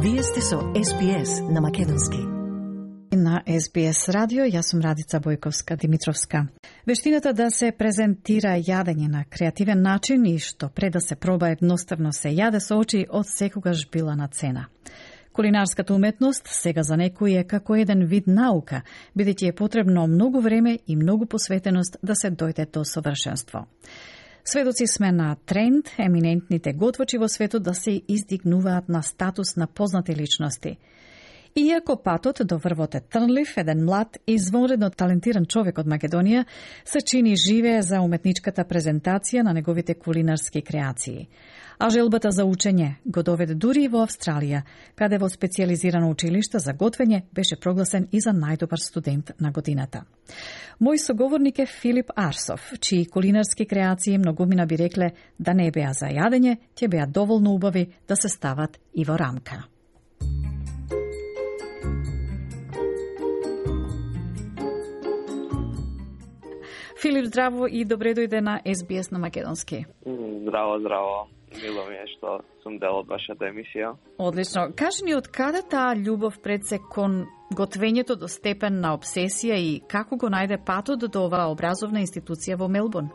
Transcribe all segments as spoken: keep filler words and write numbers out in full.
Вие сте со Ес Би Ес на македонски. На Ес Би Ес радио, јас сум Радица Бојковска-Димитровска. Вештината да се презентира јадење на креативен начин и што пред да се проба едноставно се јаде со очи од секогаш била на цена. Кулинарската уметност сега за некои е како еден вид наука, бидејќи е потребно многу време и многу посветеност да се дојде до совршенство. Сведоци сме на тренд еминентните готвачи во светот да се издигнуваат на статус на познати личности. Иако патот до врвот е трнлив, еден млад и извонредно талентиран човек од Македонија се чини живее за уметничката презентација на неговите кулинарски креации. А желбата за учење го доведе дури и во Австралија, каде во специјализирано училиште за готвење беше прогласен и за најдобар студент на годината. Мој соговорник е Филип Арсов, чии кулинарски креации многумина би рекле да не беа за јадење, ќе беа доволно убави да се стават и во рамка. Филип, здраво и добре дојде на Ес Би Ес на македонски. Здраво, здраво. Мило ми е што сум дел од вашата емисија. Одлично. Кажи ни од каде таа љубов пред се кон готвењето до степен на обсесија и како го најде патот до оваа образовна институција во Мелбурн?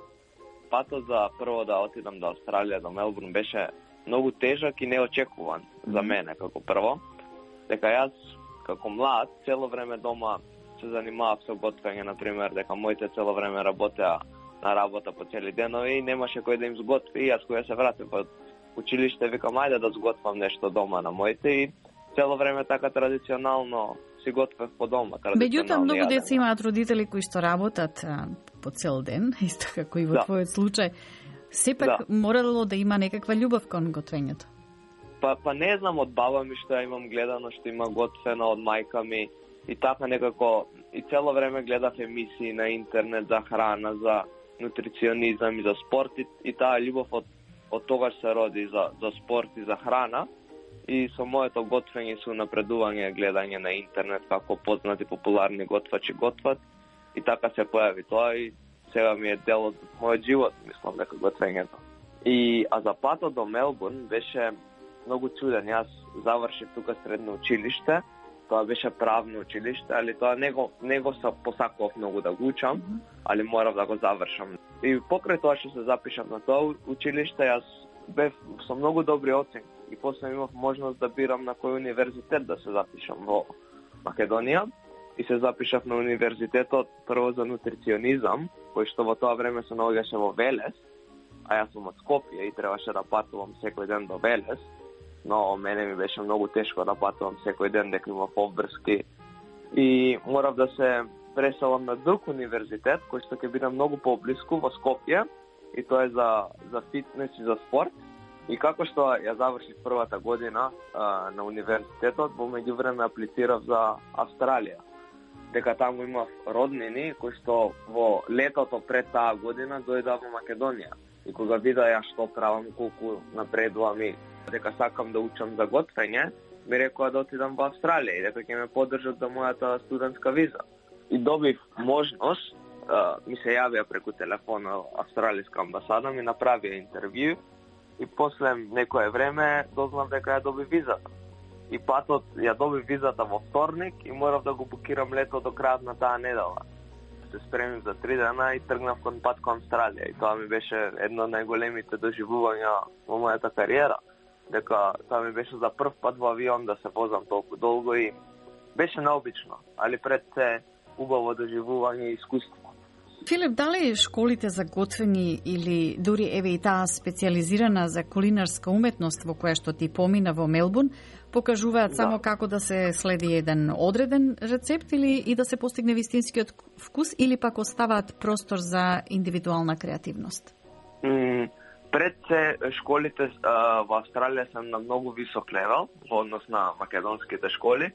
Патот за прво да отидам до Австралија, до Мелбурн, беше многу тежак и неочекуван за мене како прво. Дека јас како млад цело време дома се занимавав со готвење, например, дека моите цело време работеа на работа по цели денови и немаше кој да им сготви. И јас кога се вратив од училиште, викам ајде да сготвам нешто дома на моите и цело време така традиционално си готвев по дома. Меѓутоа, многу деца имаат родители кои што работат а, по цел ден, исто како и во да. Твојот случај. Сепак да. Морало да има некаква љубов кон готвењето. Па, па не знам, од баба ми што ја имам гледано, што има готвено, од мајка ми и така некако и цело време гледав емисии на интернет за храна, за нутриционизам и за спорт и, и таа љубов од, од тогаш се роди за, за спорт и за храна и со моето готвење и со напредување гледање на интернет како познати популарни готвачи готват и така се појави тоа и сега ми е дел од мојот живот, мислам дека готвењето. И а за патот до Мелбурн беше многу чуден. Јас завршив тука средно училиште. Тоа беше правно училиште, али тоа не го, не го са посакував многу да го учам, али морав да го завршам. И покрај тоа што се запишав на тоа училиште, јас бев со многу добри оценки и после имав можност да бирам на кој универзитет да се запишам во Македонија. И се запишав на универзитетот прво за нутриционизам, кој што во тоа време се наоѓаше во Велес, а јас сум од Скопје и требаше да патувам секој ден до Велес. Но мене ми беше многу тешко да патувам секој ден, дека имав обврски. И морав да се преселам на друг универзитет, кој што ќе биде многу поблиску во Скопје, и тоа е за, за фитнес и за спорт. И како што ја завршив првата година а, на универзитетот, во меѓувреме аплицирав за Австралија. Дека таму имав роднини кои што во летото пред таа година дојдоа во Македонија. И кога вида ја што правам, колку напредувам и дека сакам да учам за готвење, ми рекоа да отидам во Австралија и дека ќе ме поддржат за мојата студентска виза. И добив можност, ми се јавија преку телефона австралиска амбасада, ми направија интервју и после некое време дознав дека ја добив визата. И патот ја добив визата во вторник и морав да го букирам лето до крајот на таа недела. Се спремив за три дена и тргнав кон пат кон Австралија и тоа ми беше едно од најголемите доживувања во мојата кариера. Дека тоа ми беше за прв пат во авион да се возам толку долго и беше необично, али пред се убаво доживување и искуство. Филип, дали школите за готвење или дури еве и таа специјализирана за кулинарска уметност во која што ти помина во Мелбурн, покажуваат да. Само како да се следи еден одреден рецепт или и да се постигне вистинскиот вкус или пак оставаат простор за индивидуална креативност? Mm. Пред се школите а, во Австралија се на многу висок левел во однос на македонските школи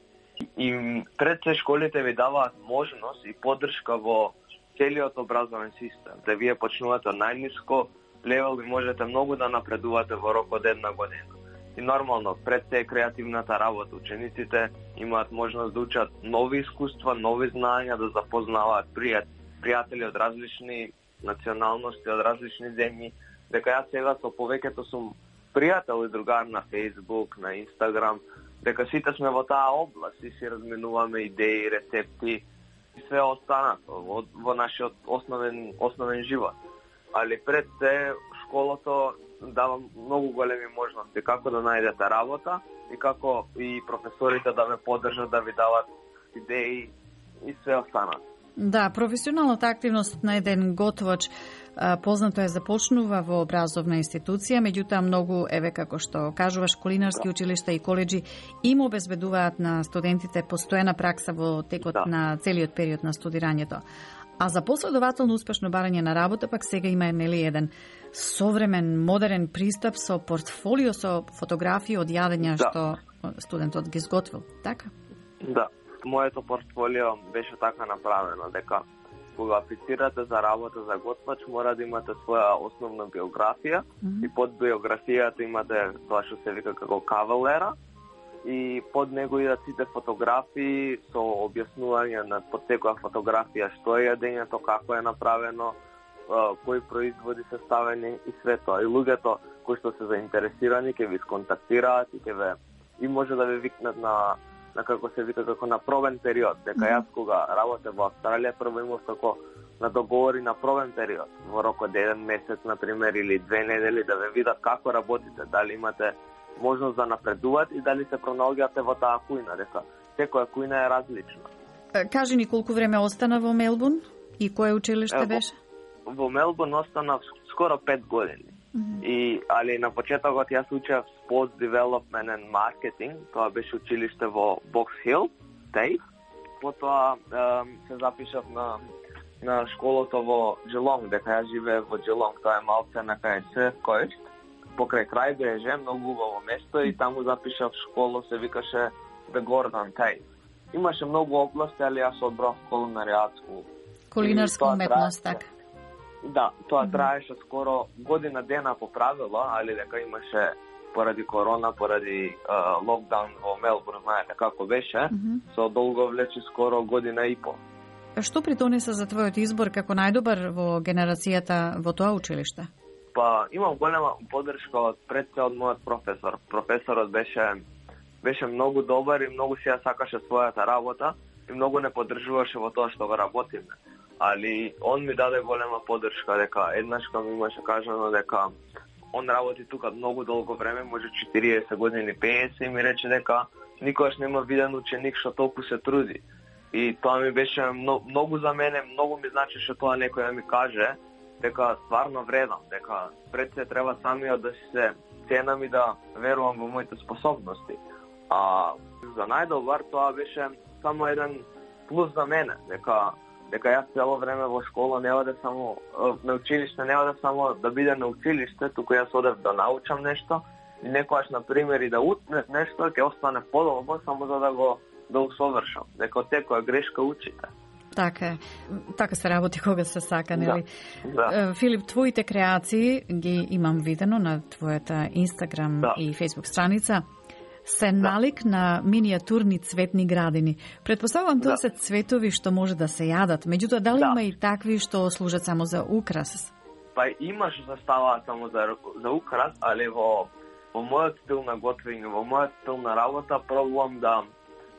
и пред се школите ви даваат можност и поддршка во целиот образовен систем. Да вие почнувате од најниско левел и можете многу да напредувате во рок од една година. И нормално, пред се креативната работа, учениците имаат можност да учат нови искуства, нови знаења, да запознаваат пријатели од различни националности, од различни земји. Дека јас сега со повеќето сум пријател и другар на Facebook, на Instagram, дека сите сме во таа област и си разменуваме идеи, рецепти и све останато во, во нашиот основен, основен живот. Али пред се, школото дава многу големи можности како да најдете работа и како и професорите да ме поддржат, да ви дават идеи и све останато. Да, професионалната активност на еден готвач познато е започнува во образовна институција, меѓутоа многу, еве како што кажуваш, кулинарски училишта и коледжи им обезбедуваат на студентите постојана пракса во текот да. на целиот период на студирањето. А за последователно успешно барање на работа пак сега има нели еден современ, модерен пристап со портфолио со фотографии од јадења да. што студентот ги изготвил, така? Да. Моето портфолио беше така направено дека кога аплицирате за работа за готвач, мора да имате своја основна биографија mm-hmm. и под биографијата имате тоа што се вика како cover letter и под него идат сите фотографии со објаснување на под секоја фотографија што е јадењето, како е направено, кои производи се ставени и све тоа. И луѓето кои што се заинтересирани ќе ви сконтактираат и ќе ве и може да ве викнат на на како се вика како на пробен период, дека mm-hmm. јас кога работев во Австралија прво имав како на договори на пробен период, во рок од еден месец на пример или две недели да ве видат како работите, дали имате можност да напредуват и дали се пронаоѓате во таа кујна, дека секоја кујна е различна. Кажи ни колку време остана во Мелбурн и кое училиште е, беше? Во, во Мелбурн остана скоро пет години. Mm-hmm. И, али на почетокот јас учев Sports Development and Marketing, тоа беше училиште во Box Hill, Тейф. Потоа е, се запишав на, на школото во Geelong, дека јас живеев во Geelong, тоа е малце на кај Surf Coast, покрај крајбреже, многу убаво место и таму запишав школа, се викаше The Gordon Тейф. Имаше многу области, али јас одбрав кулинаријатску. Кулинарска уметност, така. Да, тоа траеше скоро година дена по правило, али дека имаше поради корона, поради uh, локдаун во Мелбурн, знаете како беше, mm-hmm. со долго влече скоро година и пол. Што придонесе за твојот избор како најдобар во генерацијата во тоа училиште? Па, имам голема поддршка од пред се од мојот професор. Професорот беше беше многу добар и многу си ја сакаше својата работа и многу не поддржуваше во тоа што го работиме. Али он ми даде голема поддршка дека еднаш кога ми имаше кажано дека он работи тука многу долго време, може четириесет години, петдесет и ми рече дека никогаш нема виден ученик што толку се труди. И тоа ми беше многу, многу за мене, многу ми значеше тоа некој да ми каже дека стварно вредам, дека пред се треба самиот да се ценам и да верувам во моите способности. А за најдобар тоа беше само еден плюс за мене, дека дека јас цело време во школа не оде само на училиште, не оде само да биде на училиште, туку јас одев да научам нешто и некојаш на пример и да утнев нешто ќе остане подолго само за да го да усовршам. Дека од секоја грешка учите. Така е. Така се работи кога се сака, нели? Да, да. Филип, твоите креации ги имам видено на твојата Инстаграм да. и Фејсбук страница. Се налик да. на миниатурни цветни градини. Предпоставувам тоа да. се цветови што може да се јадат, меѓутоа дали да. има и такви што служат само за украс? Па има што се ставаат само за за украс, али во во мојот стил на готвење, во мојот стил на работа пробувам да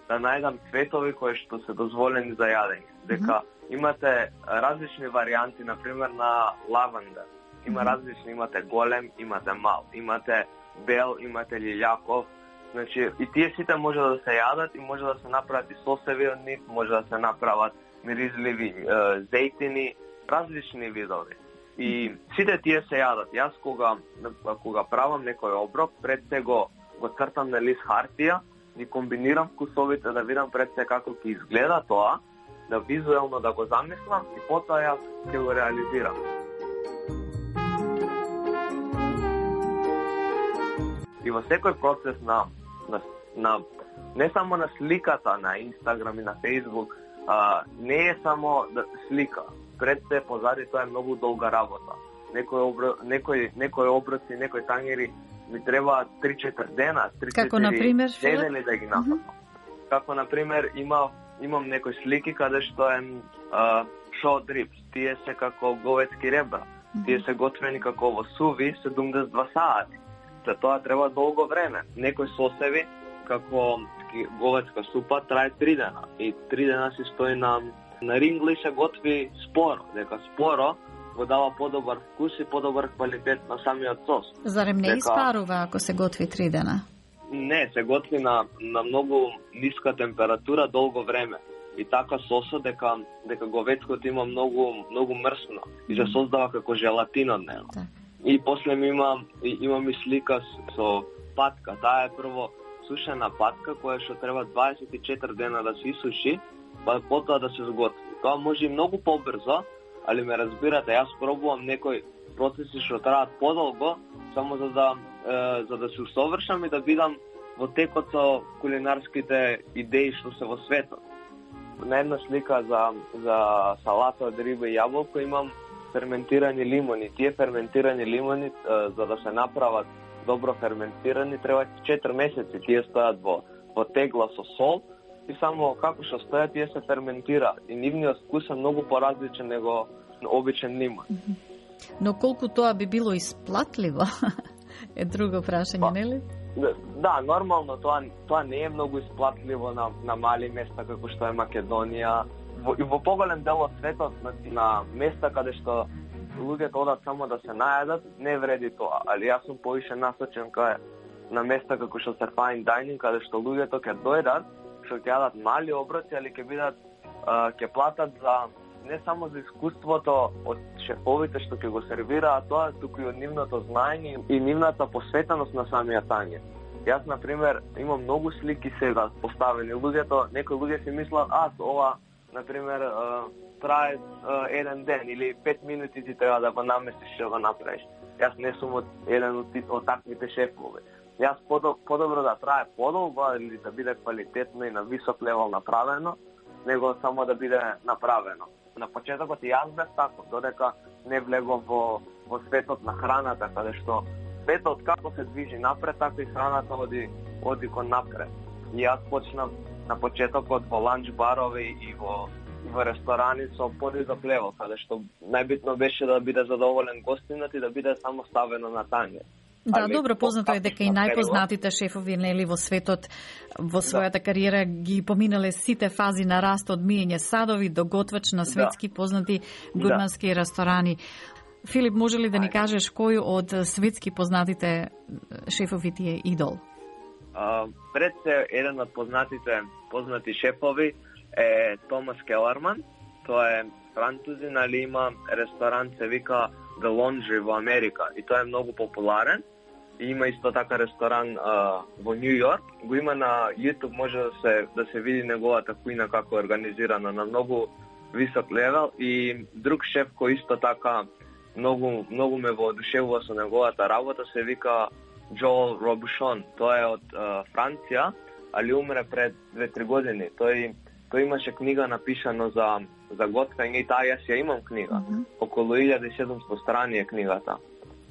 да најдам цветови кои што се дозволени за јадење. Дека mm-hmm. имате различни варијанти, на пример на лаванда. Има mm-hmm. различни, имате голем, имате мал, имате бел, имате лилјаков. Значи, и тие сите може да се јадат и може да се направат и сосеви од нив, може да се направат миризливи е, зејтини, различни видови. И сите тие се јадат. Јас кога кога правам некој оброк, пред се го го цртам на лист хартија, и комбинирам вкусовите да видам пред се како ќе изгледа тоа, да визуелно да го замислам и потоа јас ќе го реализирам. И во секој процес на, на, на не само на сликата на Инстаграм и на Фејсбук, а, не е само да слика. Пред се позади тоа е многу долга работа. Некои обро, некои некои оброци, некои тангери ми треба три-четири дена, три-четири недели да ги направам. Mm-hmm. Како на пример има имам некои слики каде што е short ribs, тие се како говецки ребра. Mm-hmm. Тие се готвени како во суви седумдесет и два сати. се тоа треба долго време. Некои сосеви, како говецка супа, трае три дена. И три дена си стои на, на рингли и се готви споро. Дека споро го дава подобар вкус и подобар квалитет на самиот сос. Зарем не дека... испарува ако се готви три дена? Не, се готви на, на многу ниска температура долго време. И така сосот дека дека говецкото има многу многу мрсно и се создава како желатин од него. Да. И после ми има има ми слика со патка. Таа е прво сушена патка која што треба дваесет и четири дена да се исуши, па потоа да се сготви. Тоа може и многу побрзо, али ме разбирате, јас пробувам некои процеси што траат подолго, само за да е, за да се усовршам и да бидам во текот со кулинарските идеи што се во светот. На една слика за за салата од риба и јаболко имам ферментирани лимони. Тие ферментирани лимони е, за да се направат добро ферментирани треба четири месеци. Тие стојат во во тегла со сол и само како што стојат тие се ферментираат и нивниот вкус е многу поразличен него обичен лимон. Но колку тоа би било исплатливо е друго прашање, па, нели? Да, нормално тоа тоа не е многу исплатливо на на мали места како што е Македонија. Во, и во поголем дел од светот на, на места каде што луѓето одат само да се најадат, не вреди тоа. Али јас сум повише насочен кај на места како што се fine dining, каде што луѓето ќе дојдат, што ќе јадат мали оброци, али ќе бидат ќе платат за не само за искуството од шефовите што ќе го сервираат тоа, туку и од нивното знаење и нивната посветеност на самиот тањер. Јас, на пример, имам многу слики сега поставени. Луѓето, некои луѓе си мислат, а, ова, на пример, трае еден ден или пет минути ти треба да го наместиш што го направиш. Јас не сум од еден од, од таквите шефови. Јас подобро да трае подолго или да биде квалитетно и на висок левел направено, него само да биде направено. На почетокот и јас бев тако, додека не влегов во, во светот на храната, каде што светот како се движи напред, така и храната оди, оди кон напред. И јас почнав на почетокот во ланч барови и во, во ресторани со подвизок левел, каде што најбитно беше да биде задоволен гостинот и да биде само ставено на тањер. Да, али, добро познато е дека и најпознатите шефови нели во светот во својата да. кариера ги поминале сите фази на раст од миење садови до готвач на светски да. познати гурмански да. ресторани. Филип, може ли да ни кажеш кој од светски познатите шефови ти е идол? Uh, пред се еден од познатите познати шефови е Томас Келерман. Тоа е французин, али има ресторан се вика The Laundry во Америка и тоа е многу популарен. И има исто така ресторан uh, во Нью Йорк. Го има на YouTube, може да се да се види неговата кујна како е организирана на многу висок левел. И друг шеф кој исто така многу многу ме воодушевува со неговата работа се вика Джоел Робушон. Тој е од uh, Франција, али умре пред две-три години. Тој тој имаше книга напишано за за готвење и таа јас ја имам книга. Mm-hmm. Околу илјада и седумстотини страни е книгата.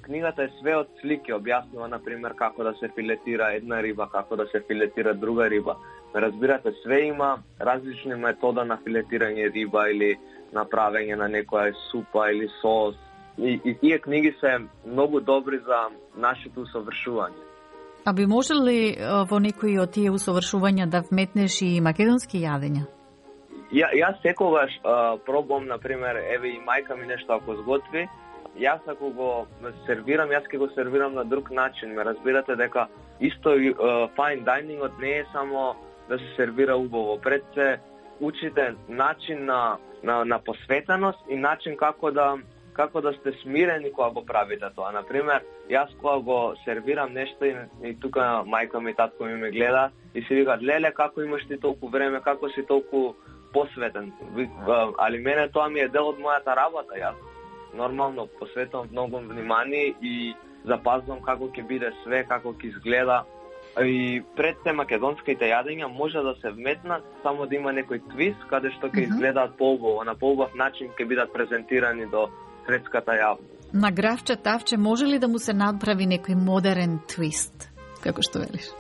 Книгата е све од слики, објаснува на пример како да се филетира една риба, како да се филетира друга риба. Разбирате, све има различни метода на филетирање риба или направење на некоја супа или сос. И, и тие книги се многу добри за нашето усовршување. А би можел ли во некои од тие усовршувања да вметнеш и македонски јадења? Ја, јас секогаш а, пробувам, на пример, еве и мајка ми нешто ако сготви, јас ако го сервирам, јас ќе го сервирам на друг начин. Ме разбирате дека исто uh, fine dining не е само да се сервира убаво. Пред се учите начин на, на, на посветеност и начин како да како да сте смирени кога го правите тоа. Например, јас кога го сервирам нешто и, и тука мајка ми и татко ми ме гледа и си викаат, леле, како имаш ти толку време, како си толку посветен. Али мене тоа ми е дел од мојата работа. Јас нормално посветувам многу внимание и запазвам како ќе биде све, како ќе изгледа. И пред се македонските јадења може да се вметнат, само да има некој твист, каде што ќе изгледаат поубаво, на поубав начин ќе бидат презентирани до светската јавност. На гравче тавче може ли да му се направи некој модерен твист, како што велиш?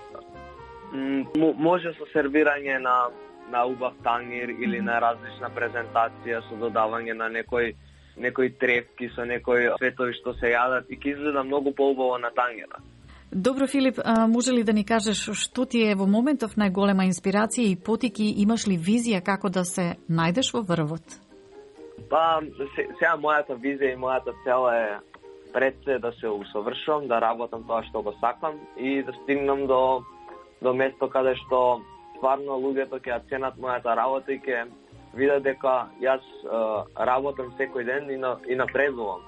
М- може со сервирање на на убав тањер или на различна презентација со додавање на некој некои тревки со некои светови што се јадат и ќе изгледа многу поубаво на тањера. Добро, Филип, а, може ли да ни кажеш што ти е во моментов најголема инспирација и потики, имаш ли визија како да се најдеш во врвот? Па, сега мојата визија и мојата цел е пред се да се усовршувам, да работам тоа што го сакам и да стигнам до до место каде што стварно луѓето ќе ја ценат мојата работа и ќе видат дека јас е, работам секој ден и, на, и напредувам.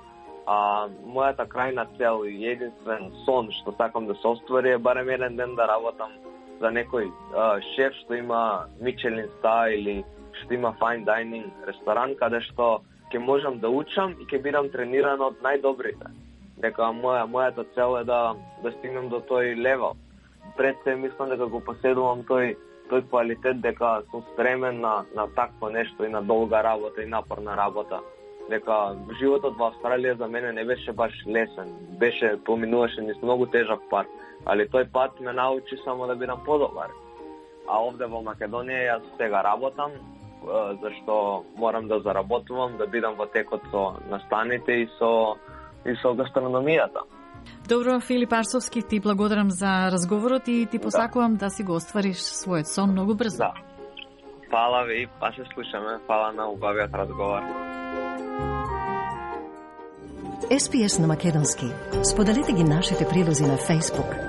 А мојата крајна цел и единствен сон што сакам да се оствари е барем еден ден да работам за некој а, шеф што има Мичелин стар или што има fine dining ресторан каде што ќе можам да учам и ќе бидам трениран од најдобрите. Дека моја мојата цел е да да стигнем до тој левел. Пред се мислам дека го поседувам тој тој квалитет дека сум спремен на на такво нешто и на долга работа и напорна работа. Дека животот во Австралија за мене не беше баш лесен, беше поминуваше низ многу тежок пат, али тој пат ме научи само да бидам подобар. А овде во Македонија јас сега работам, зашто морам да заработувам, да бидам во текот со настаните и со и со гастрономијата. Добро, Филип Арсовски, ти благодарам за разговорот и ти посакувам да, да си го оствариш својот сон многу брзо. Да. Фала ви, па се слушаме. Фала на убавиот разговор. Ес Би Ес на македонски. Споделете ги нашите прилози на Facebook,